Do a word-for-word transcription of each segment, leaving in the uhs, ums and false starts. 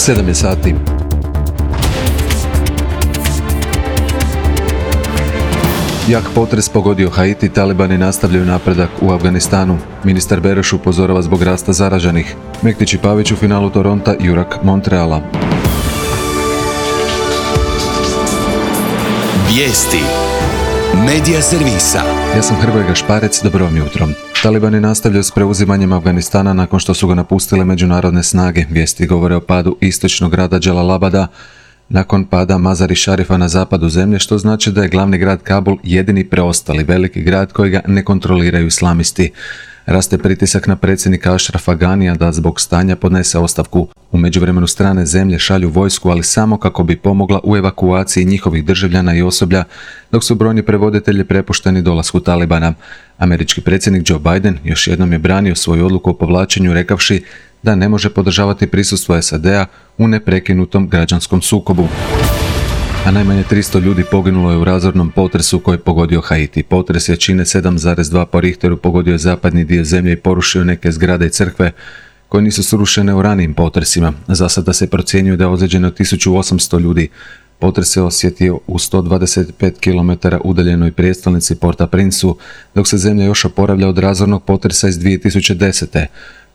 sedam je sati. Jak potres pogodio Haiti, talibani nastavljaju napredak u Afganistanu. Ministar Bereš upozorava zbog rasta zaraženih. Mektić i Pavić u finalu Toronta, Jurak Montreala. Vijesti Medija servisa. Ja sam Hrvoje Gašparec, dobro vam jutro. Talibani nastavljaju s preuzimanjem Afganistana nakon što su ga napustile međunarodne snage. Vijesti govore o padu istočnog grada Dželalabada nakon pada Mazar-i Šarifa na zapadu zemlje, što znači da je glavni grad Kabul jedini preostali veliki grad kojega ne kontroliraju islamisti. Raste pritisak na predsjednika Ašrafa Ganija da zbog stanja podnese ostavku. U međuvremenu strane zemlje šalju vojsku, ali samo kako bi pomogla u evakuaciji njihovih državljana i osoblja, dok su brojni prevoditelji prepušteni dolasku Talibana. Američki predsjednik Joe Biden još jednom je branio svoju odluku o povlačenju, rekavši da ne može podržavati prisustvo S A D-a u neprekinutom građanskom sukobu. A najmanje tristo ljudi poginulo je u razornom potresu koji je pogodio Haiti. Potres jačine sedam zarez dva po Richteru pogodio je zapadni dio zemlje i porušio neke zgrade i crkve koje nisu srušene u ranijim potresima. Za sada se procjenjuje da je ozlijeđeno tisuću osamsto ljudi. Potres se osjetio u sto dvadeset pet kilometara udaljenoj prijestolnici Port-au-Princeu, dok se zemlja još oporavlja od razornog potresa iz dvije tisuće desete.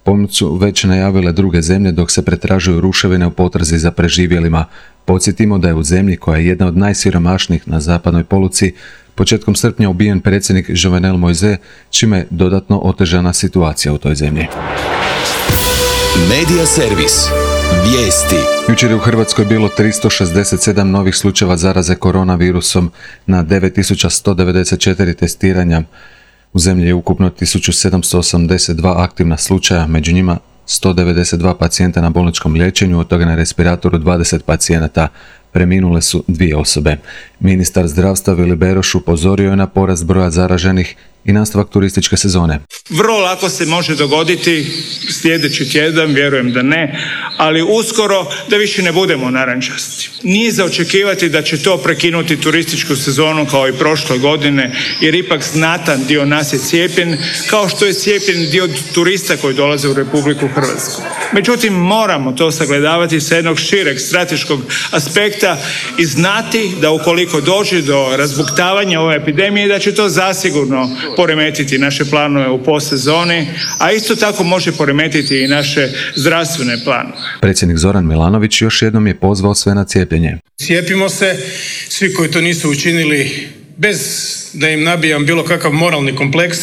Pomoć su već najavile druge zemlje dok se pretražuju ruševine u potrazi za preživjelima. Podsjetimo da je u zemlji koja je jedna od najsiromašnijih na zapadnoj poluci početkom srpnja ubijen predsjednik Jovenel Moïse, čime je dodatno otežana situacija u toj zemlji. Medija servis. Vijesti. Jučer je u Hrvatskoj bilo tristo šezdeset sedam novih slučajeva zaraze koronavirusom na devet tisuća sto devedeset četiri testiranja. U zemlji je ukupno tisuću sedamsto osamdeset dva aktivna slučaja, među njima sto devedeset dva pacijenta na bolničkom liječenju, od toga na respiratoru dvadeset pacijenata. Preminule su dvije osobe. Ministar zdravstva Vili Beroš upozorio je na porast broja zaraženih i nastavak turističke sezone. Vrlo lako se može dogoditi sljedeći tjedan, vjerujem da ne, ali uskoro da više ne budemo narančasti. Nije za očekivati da će to prekinuti turističku sezonu kao i prošle godine, jer ipak znatan dio nas je cijepljen, kao što je cijepljen dio turista koji dolaze u Republiku Hrvatsku. Međutim, moramo to sagledavati sa jednog šireg strateškog aspekta i znati da ukoliko dođe do razbuktavanja ove epidemije, da će to zasigurno poremetiti naše planove u postsezoni, a isto tako može poremetiti i naše zdravstvene planove. Predsjednik Zoran Milanović još jednom je pozvao sve na cijepljenje. Cijepimo se, svi koji to nisu učinili, bez da im nabijam bilo kakav moralni kompleks,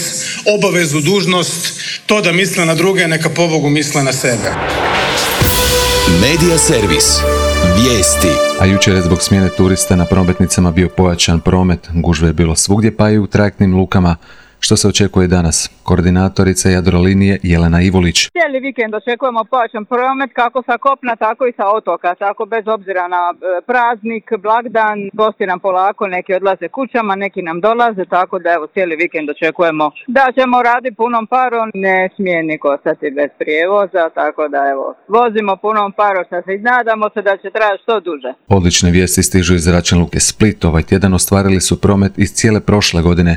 obavezu, dužnost, to da misle na druge, neka pobogu misle na sebe. Medija servis. Vijesti. A jučer je zbog smjene turista na prometnicama bio pojačan promet, gužve je bilo svugdje pa i u trajektnim lukama. Što se očekuje danas? Koordinatorica Jadrolinije Jelena Ivolić. Cijeli vikend očekujemo pojačan promet kako sa kopna, tako i sa otoka. Tako bez obzira na praznik, blagdan, gosti nam polako, neki odlaze kućama, neki nam dolaze, tako da evo cijeli vikend očekujemo da ćemo raditi punom parom. Ne smije niko ostati bez prijevoza, tako da evo vozimo punom parom, sad se nadamo se da će trajati što duže. Odlične vijesti stižu iz zračne luke Split. Ovaj tjedan ostvarili su promet iz cijele prošle godine.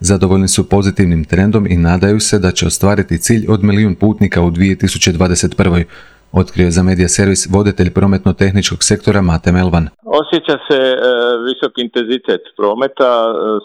Zadovoljni su pozitivnim trendom i nadaju se da će ostvariti cilj od milijun putnika u dvije tisuće dvadeset prvoj. Otkrio je za Medija servis voditelj prometno-tehničkog sektora Mate Melvan. Osjeća se e, visok intenzitet prometa,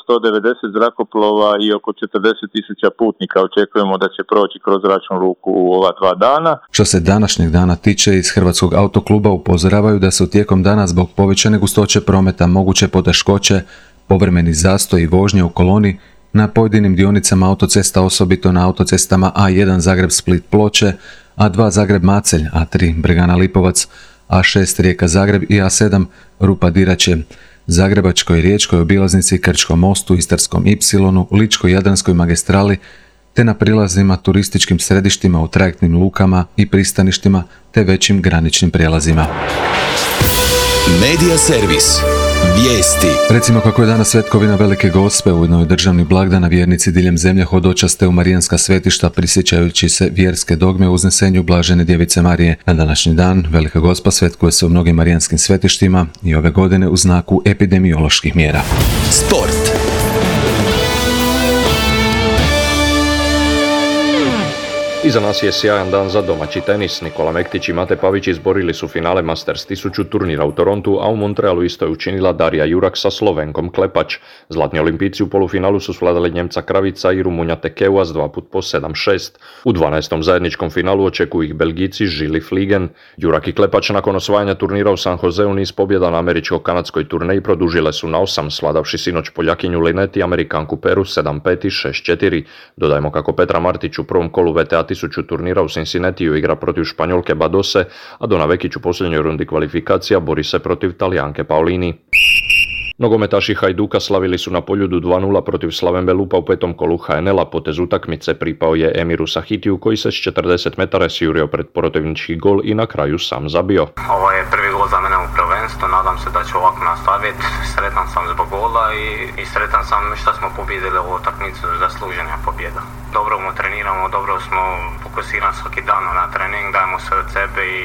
sto devedeset zrakoplova i oko četrdeset tisuća putnika očekujemo da će proći kroz zračnu luku u ova dva dana. Što se današnjeg dana tiče, iz Hrvatskog autokluba upozoravaju da su tijekom dana zbog povećane gustoće prometa moguće poteškoće, povremeni zastoj i vožnje u koloni na pojedinim dionicama autocesta, osobito na autocestama A jedan Zagreb-Split-Ploče, A dva Zagreb-Macelj, A tri Bregana-Lipovac, A šest Rijeka-Zagreb i A sedam Rupa-Dirače, Zagrebačkoj, Riječkoj obilaznici, Krčkom mostu, Istarskom Ipsilonu, Ličko-Jadranskoj magistrali, te na prilazima turističkim središtima u trajektnim lukama i pristaništima te većim graničnim prijelazima. Medija servis. Vijesti. Recimo kako je danas svetkovina Velike Gospe, ujedno je državni blagdan, a vjernici diljem zemlje hodočaste u marijanska svetišta prisjećajući se vjerske dogme o uznesenju Blažene Djevice Marije. Na današnji dan Velika Gospa svetkuje se u mnogim marijanskim svetištima i ove godine u znaku epidemioloških mjera. Sport. Iza nas je sjajan dan za domaći tenis. Nikola Mektić i Mate Pavić izborili su finale Masters tisuću turnira u Torontu, a u Montrealu isto je učinila Darija Jurak sa Slovenkom Klepač. Zlatni olimpijci u polufinalu su svladali Njemca Kravica i Rumunja Tekeua s dva put po sedam šest. U dvanaestom zajedničkom finalu očekuju ih Belgijci Žili Fliegen. Jurak i Klepač nakon osvajanja turnira u San Joseu niz pobjeda na američko-kanadskoj turneji produžile su na osam, svladavši sinoć Poljakinju Linet i Amerikanku Peru sedam pet i šest četiri. Dodajmo kako Petra Martić u prvom kolu V T A tisuću turnira u Cincinnatiju igra protiv Španjolke Badose, a Dona Vekić u posljednjoj rundi kvalifikacija bori se protiv Talijanke Paolini. Nogometaši Hajduka slavili su na Poljudu dva nula protiv Slaven Belupa u petom kolu H N L-a. Potez utakmice pripao je Emiru Sahitiju koji se s četrdeset metara sjurio pred protivnički gol i na kraju sam zabio. Ovo je prvi gol za mene u prvenstvu, nadam se da ću ovako nastaviti. Sretan sam zbog gola i, i sretan sam što smo pobjedili ovu utakmicu, zasluženja pobjeda. Dobro mu treniramo, dobro smo fokusirani svaki dan na trening, dajemo sve od sebe i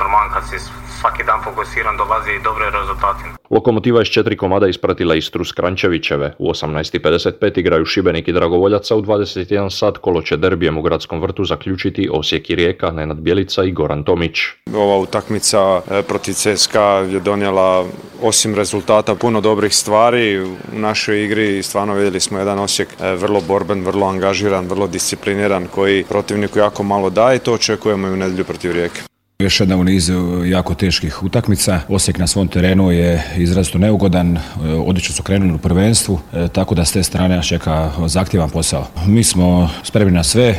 normalno kad si svaki dan fokusiran dolazi i dobre rezultati. Lokomotiva je s četiri komada ispratila Istru s Kranjčevićeve. U osamnaest i pedeset pet igraju Šibenik i Dragovoljac, a u dvadeset jedan sat kolo će derbijem u Gradskom vrtu zaključiti Osijek i Rijeka, Nenad Bjelica i Goran Tomić. Ova utakmica protiv C S K A je donijela osim rezultata puno dobrih stvari u našoj igri. Stvarno vidjeli smo jedan Osijek vrlo borben, vrlo angažiran, vrlo discipliniran, koji protivniku jako malo daje i to očekujemo i u nedjelju protiv Rijeke. Još jedna u nizu jako teških utakmica. Osijek na svom terenu je izrazito neugodan, odlično su krenuli u prvenstvu, tako da s te strane nas čeka zahtjevan posao. Mi smo spremni na sve,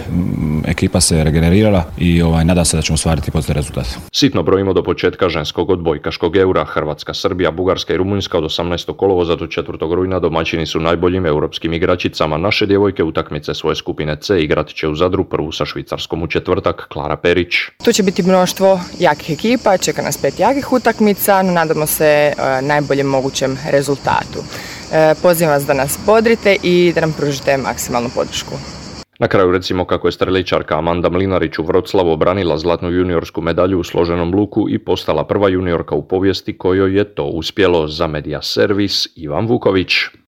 ekipa se regenerirala i ovaj, nadam se da ćemo ostvariti pozitivan rezultat. Sitno brojimo do početka ženskog odbojkaškog eura. Hrvatska, Srbija, Bugarska i Rumunjska od osamnaestog kolovoza do četvrtog rujna domaćini su najboljim europskim igračicama. Naše djevojke utakmice svoje skupine C igrat će u Zadru, prvu sa Švicarskom u četvrtak. Klara Perić. Tu će biti mnoštvo jakih ekipa, čeka nas pet jakih utakmica, no nadamo se e, najboljem mogućem rezultatu. E, pozivam vas da nas bodrite i da nam pružite maksimalnu podršku. Na kraju recimo kako je streličarka Amanda Mlinarić u Vroclavu obranila zlatnu juniorsku medalju u složenom luku i postala prva juniorka u povijesti kojoj je to uspjelo. Za Media Servis Ivan Vuković.